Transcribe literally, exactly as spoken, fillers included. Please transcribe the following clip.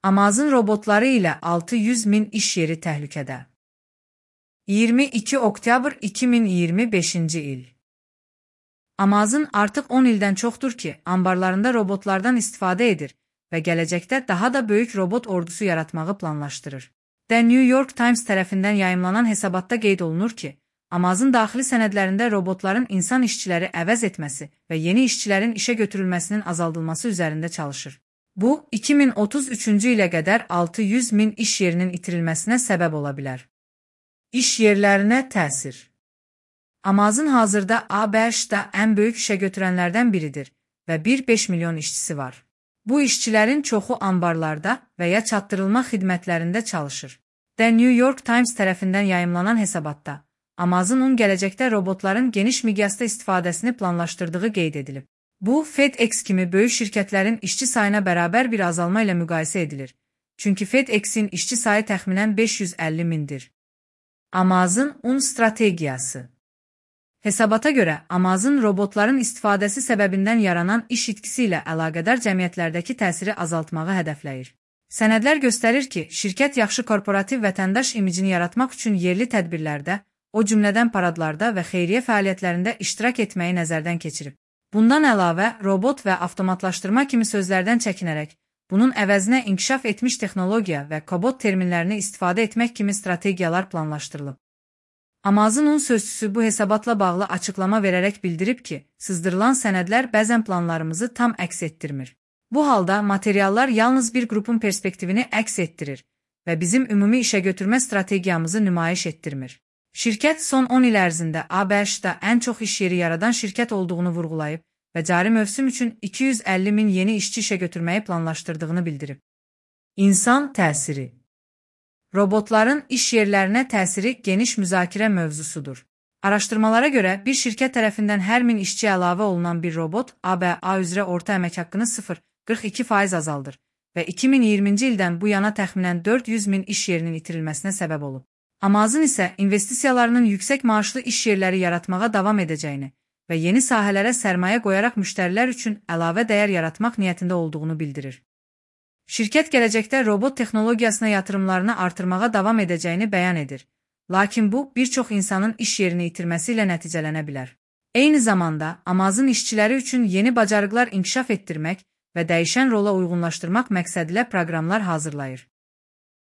Amazon robotları ilə altı yüz min iş yeri təhlükədə. iyirmi iki oktyabr iki min iyirmi beşinci il. Amazon artıq on ildən çoxdur ki, anbarlarında robotlardan istifadə edir və gələcəkdə daha da böyük robot ordusu yaratmağı planlaşdırır. The New York Times tərəfindən yayımlanan hesabatda qeyd olunur ki, Amazon daxili sənədlərində robotların insan işçiləri əvəz etməsi və yeni işçilərin işə götürülməsinin azaldılması üzərində çalışır. Bu, iki min otuz üçüncü ilə qədər altı yüz min iş yerinin itirilməsinə səbəb ola bilər. İş yerlərinə təsir. Amazon hazırda A B Ş-da ən böyük işə götürənlərdən biridir və bir nöqtə beş milyon işçisi var. Bu işçilərin çoxu anbarlarda və ya çatdırılma xidmətlərində çalışır. The New York Times tərəfindən yayımlanan hesabatda, Amazonun gələcəkdə robotların geniş miqyasda istifadəsini planlaşdırdığı qeyd edilib. Bu, FedEx kimi böyük şirkətlərin işçi sayına bərabər bir azalma ilə müqayisə edilir. Çünki FedEx-in işçi sayı təxminən beş yüz əlli mindir. Amazon-un strategiyası. Hesabata görə, Amazon robotların istifadəsi səbəbindən yaranan iş itkisi ilə əlaqədar cəmiyyətlərdəki təsiri azaltmağı hədəfləyir. Sənədlər göstərir ki, şirkət yaxşı korporativ vətəndaş imicini yaratmaq üçün yerli tədbirlərdə, o cümlədən paradlarda və xeyriyyə fəaliyyətlərində iştirak etməyi nəzərdən keçirib. Bundan əlavə, robot və avtomatlaşdırma kimi sözlərdən çəkinərək, bunun əvəzinə inkişaf etmiş texnologiya və kobot terminlərini istifadə etmək kimi strategiyalar planlaşdırılıb. Amazonun sözçüsü bu hesabatla bağlı açıqlama verərək bildirib ki, sızdırılan sənədlər bəzən planlarımızı tam əks etdirmir. Bu halda materiallar yalnız bir qrupun perspektivini əks etdirir və bizim ümumi işə götürmə strategiyamızı nümayiş etdirmir. Şirkət son on il ərzində A B Ş-da ən çox iş yeri yaradan şirkət olduğunu vurğulayıb və cari mövsüm üçün iki yüz əlli min yeni işçi işə götürməyi planlaşdırdığını bildirib. İnsan təsiri. Robotların iş yerlərinə təsiri geniş müzakirə mövzusudur. Araşdırmalara görə bir şirkət tərəfindən hər min işçi əlavə olunan bir robot A B A üzrə orta əmək haqqını sıfır nöqtə qırx iki faiz azaldır və iki min iyirminci ildən bu yana təxminən dörd yüz min iş yerinin itirilməsinə səbəb olub. Amazon isə investisiyalarının yüksək maaşlı iş yerləri yaratmağa davam edəcəyini və yeni sahələrə sərmayə qoyaraq müştərilər üçün əlavə dəyər yaratmaq niyyətində olduğunu bildirir. Şirkət gələcəkdə robot texnologiyasına yatırımlarını artırmağa davam edəcəyini bəyan edir. Lakin bu, bir çox insanın iş yerini itirməsi ilə nəticələnə bilər. Eyni zamanda, Amazon işçiləri üçün yeni bacarıqlar inkişaf etdirmək və dəyişən rola uyğunlaşdırmaq məqsədilə proqramlar hazırlayır.